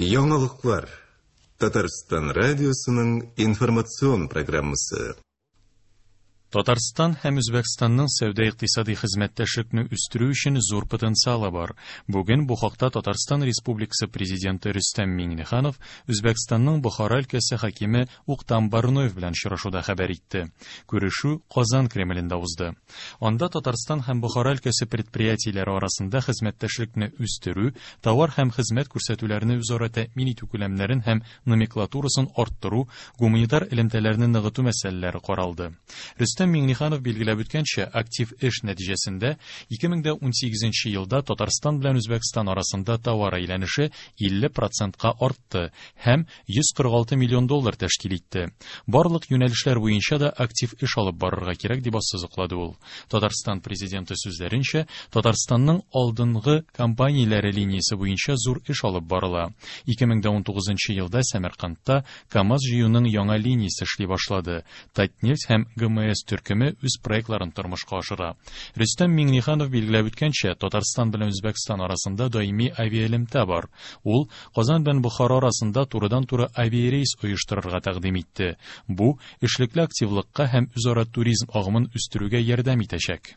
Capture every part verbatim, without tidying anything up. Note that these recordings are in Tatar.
Яңалыклар. Татарстан радиосының информацион программасы. Татарстан һәм Үзбәкстанның сәүдә-икътисади хезмәттәшлекне үстерү өчен зур потенциалы бар. Бүген бу хакта Татарстан Республикасы Президенты Рөстәм Миңнеханов Үзбәкстанның Бохара өлкәсе хакиме Уктам Барноев белән очрашуда хәбәр итте. Күрешү Казан Кремлендә узды. Анда Татарстан һәм Бохара өлкәсе предприятиеләре арасында хезмәттәшлекне үстерү, товар һәм хезмәт күрсәтүләрне үзара тәэмин итү күләмнәрен һәм номенклатурасын арттыру, гуманитар элемтәләрне ныгыту мәсьәләләре каралды. Рөстәм Миңнеханов билгеләп үткәнчә, актив эш нәтиҗәсендә ике мең дә унсигезенче елда Татарстан белән Үзбәкстан арасында товар әйләнеше илле процентка артты һәм йөз кырык алты миллион доллар тәшкил итте. Барлык юнәлешләр буенча да актив эш алып барырга кирәк, дип ассызыклады ул. Татарстан президенты сүзләренчә, Татарстанның алдынгы компанияләре линиясе буенча зур эш алып барыла. Ике мең дә унтугызынчы елда Сәмәркандта КАМАЗ җыюның яңа линиясе эшли башлады. Татнефть һәм ГМС төркеме үз проектларын тормышка ашыра. Рөстәм Миңнеханов билгеләп үткәнчә, Татарстан белән Үзбәкстан арасында даими авиаэлемтә бар. Ул Казан белән Бохара арасында турыдан-туры авиарейс оештырырга тәкъдим итте. Бу эшлекле активлыкка һәм үзара туризм агымын үстерүгә ярдәм итәчәк.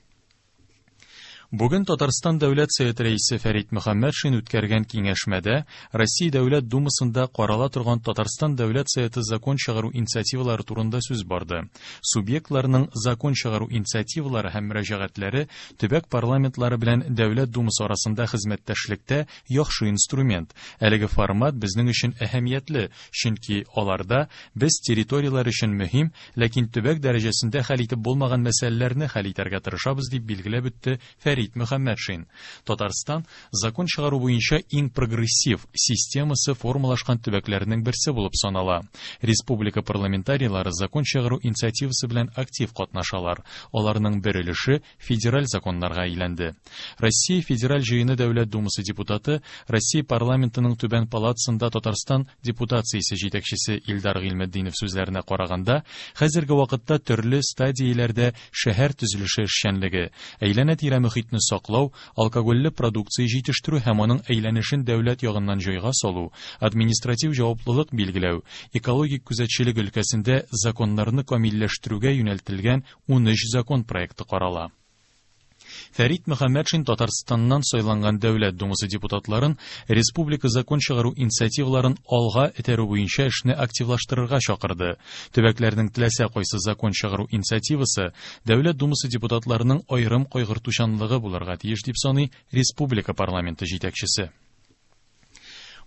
Бүген Татарстан Дәүләт Советы рәисе Фәрит Мөхәммәтшин үткәргән киңәшмәдә Россия Дәүләт Думасында карала торган Татарстан Дәүләт Советы закон чыгару инициативалары турында сүз барды. Субъектларның закон чыгару инициативалары һәм мөрәҗәгатьләре төбәк парламентлары белән Дәүләт Думасы арасында хезмәттәшлектә яхшы инструмент. Әлеге формат безнең өчен әһәмиятле, чөнки аларда без территорияләр өчен мөһим, ләкин төбәк дәрәҗәсендә хәл итеп булмаган мәсьәләләрне хәл итәргә тырышабыз, дип билгеләп үтте Фәрит Мөхәммәтшин. Татарстан закон чыгару буенча иң прогрессив системасы формалашкан төбәкләрнең берсе булып санала. Республика парламентарийлары закон чыгару инициативасы белән актив катнашалар. Аларның бер өлеше федераль законнарга әйләнде. Россия Федераль Җыены Дәүләт Думасы депутаты, Россия парламентының түбән палатасында Татарстан депутациясе җитәкчесе Илдар Гыйльметдинов сүзләренә караганда, хәзерге вакытта төрле стадияләрдә шәһәр төзелеше эшчәнлеге, әйләнә-тирә мөхитне саклау, алкогольле продукция җитештерү һәм аның әйләнешен дәүләт ягыннан җайга салу, административ җаваплылык билгеләү, экологик күзәтчелек өлкәсендә законнарны камилләштерүгә юнәлтелгән унөч закон проекты карала. Фәрит Мөхәммәтшин Татарстаннан сайланган Дәүләт Думасы депутатларын республика закон чыгару инициативаларын алга этәрү буенча эшне активлаштырырга чакырды. Төбәкләрнең теләсә кайсы закон чыгару инициативасы Дәүләт Думасы депутатларының аерым кайгыртучанлыгы булырга тиеш, дип саный республика парламенты җитәкчесе.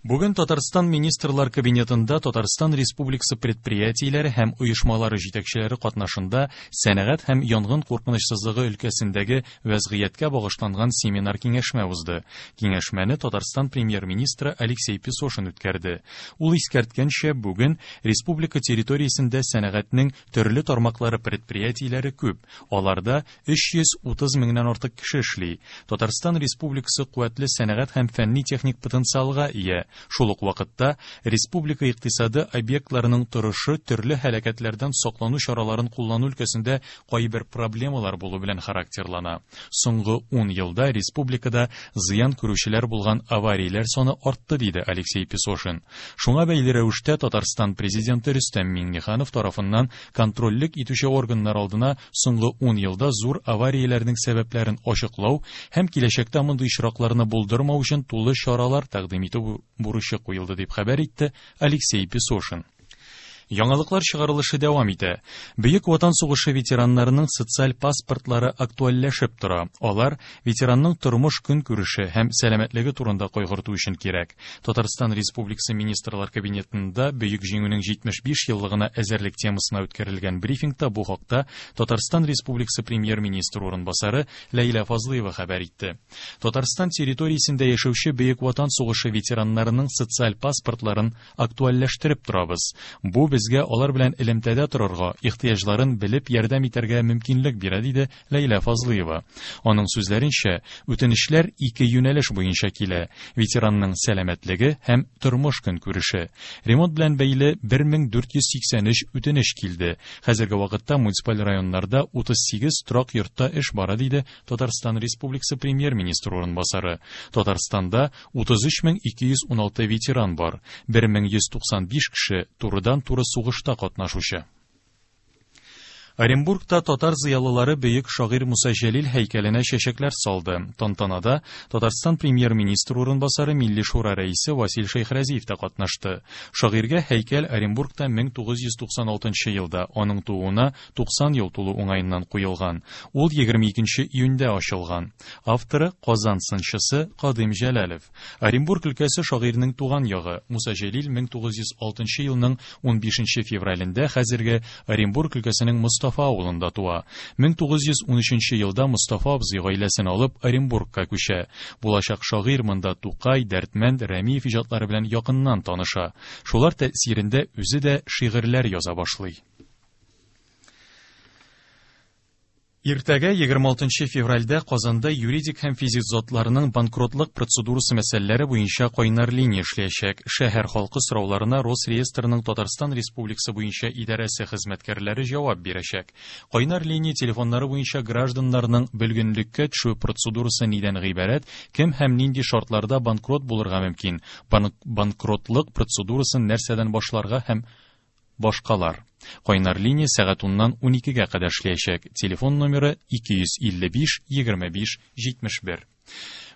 Бүген Татарстан Министрлар Кабинетында Татарстан Республикасы предприятиеләре һәм оешмалары җитәкчеләре катнашында сәнәгать һәм янгын куркынычсызлыгы өлкәсендәге вәзгыятькә багышланган семинар киңәшмә узды. Киңәшмәне Татарстан премьер-министры Алексей Песошин үткәрде. Ул искәрткәнчә, бүген республика территориясендә сәнәгатьнең төрле тармаклары предприятиеләре күп. Аларда өч йөз утыз меңнән артык кеше эшли. Татарстан Республикасы куәтле сәнәгать һәм фәнни-техник потенциалга ия. Шул ук вакытта республика икътисады объектларының торышы төрле һәлакәтләрдән саклану чараларын куллану өлкәсендә кайбер проблемалар булу белән характерлана. Соңгы ун елда республикада зыян күрүчеләр булган аварияләр саны артты, диде Алексей Песошин. Шуңа бәйле рәвештә Татарстан президенты Рөстәм Миңнеханов тарафыннан контрольлек итүче органнар алдына соңгы ун елда зур аварияләрнең сәбәпләрен ачыклау һәм киләчәктә мондый очракларны булдырмау өчен тулы чаралар тәкъдим итү бурычы куелды, дип хәбәр итте Алексей Песошин. Яңалыклар чыгарылышы дәвам итә. Бөек Ватан сугышы ветераннарының социаль паспортлары актуальләшеп тора. Алар ветеранның тормыш көнкүреше һәм сәламәтлеге турында кайгырту өчен кирәк. Татарстан Республикасы Министрлар Кабинетында Бөек Җиңүнең җитмеш биш еллыгына әзерлек темасына үткәрелгән брифингта бу хакта Татарстан Республикасы премьер-министры урынбасары Ләйлә Фазлыева хәбәр итте. Татарстан территориясендә яшәүче Бөек Ватан сугышы ветераннарының социаль паспортларын актуальләштереп торабыз. Бу безгә алар белән элемтәдә торырга, ихтыяҗларын белеп ярдәм итәргә мөмкинлек бирә, диде Ләйлә Фазлыева. Аның сүзләренчә, үтенечләр ике юнәлеш буенча килә: ветеранның сәламәтлеге һәм тормыш көнкүреше. Ремонт белән бәйле бер мең дүрт йөз сиксән өч үтенеш килде. Хәзерге вакытта муниципаль районнарда утыз сигез торак йортта эш бара, диде Татарстан Республикасы премьер-министры урынбасары. Татарстанда утыз өч мең ике йөз уналты ветеран бар. бер мең йөз туксан биш кеше турыдан-туры сугышта катнашучы. Оренбургта татар зыялылары бөек шагыйрь Муса Җәлил һәйкәленә чәчәкләр салды. Тантанада Татарстан премьер-министры урынбасары Милли Шура рәисе Васил Шәйхразиев та катнашты. Шагыйрьгә һәйкәл Оренбургта мең тугыз йөз туксан алтынчы елда аның тууына туксан ел тулу уңаеннан куелган. Ул егерме икенче июньдә ачылган. Авторы Казан сынчысы Кадыйм Җәләлев. Оренбург өлкәсе шагыйрьнең туган ягы. Муса Җәлил мең тугыз йөз алтынчы елның унбишенче февралендә хәзерге Оренбург өлкәсенең Мостафа авылында туа. мең тугыз йөз унөченче елда Мостафа абзый гаиләсен алып Оренбургка күчә. Булачак шагыйрь монда Тукай, Дәрдмәнд, Рәмиев иҗатлары белән якыннан таныша. Шулар тәэсирендә үзе дә шигырьләр яза башлый. Иртәгә егерме алтынчы февральдә Казанда юридик һәм физик затларның банкротлык процедурасы мәсьәләләре буенча кайнар линия эшләячәк. Шәһәр халкы сорауларына Росреестрның Татарстан Республикасы буенча идарәсе хезмәткәрләре җавап бирәчәк. Кайнар линия телефоннары буенча гражданнарның бөлгенлеккә төшү процедурасы нидән гыйбарәт, кем һәм нинди шартларда банкрот булырга мөмкин, банк-, банкротлык процедурасын нәрсәдән башларга һәм башкалар. Кайнар линия сәгать уннан уникегә кадәр эшләячәк. Телефон номеры ике йөз илле биш, егерме биш, җитмеш бер.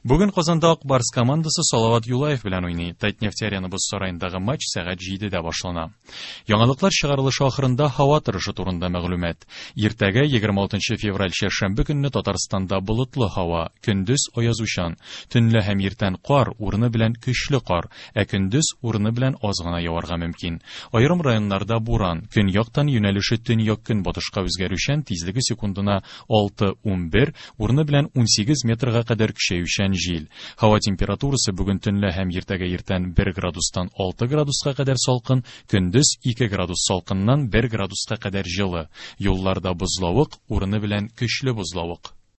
Бүген Казанда Ак Барс командасы Салават Юлаев белән уйный. Татнефть Арена боз сараендагы матч сәгать җидедә башлана. Яңалыклар чыгарылышы ахырында һава торышы турында мәгълүмат. Иртәгә егерме алтынчы февраль чәршәмбе көнне Татарстанда болытлы һава, көндез аязучан, төнлә һәм иртән кар, урыны белән көчле кар, ә көндез урыны белән аз гына яварга мөмкин. Аерым районнарда буран, көньяктан юнәлеше төньяк-көнбатышка үзгәрүчән, тизлеге секундына алты унбер, урыны белән унсигез метрга кадәр көчәючән җил. Һава температурасы бүген төнлә һәм иртәгә иртән бер градустан алты градуска кадәр салкын, көндез ике градус салкыннан бер градуска кадәр җылы. Юлларда бозлавык, урыны белән көчле бозлавык.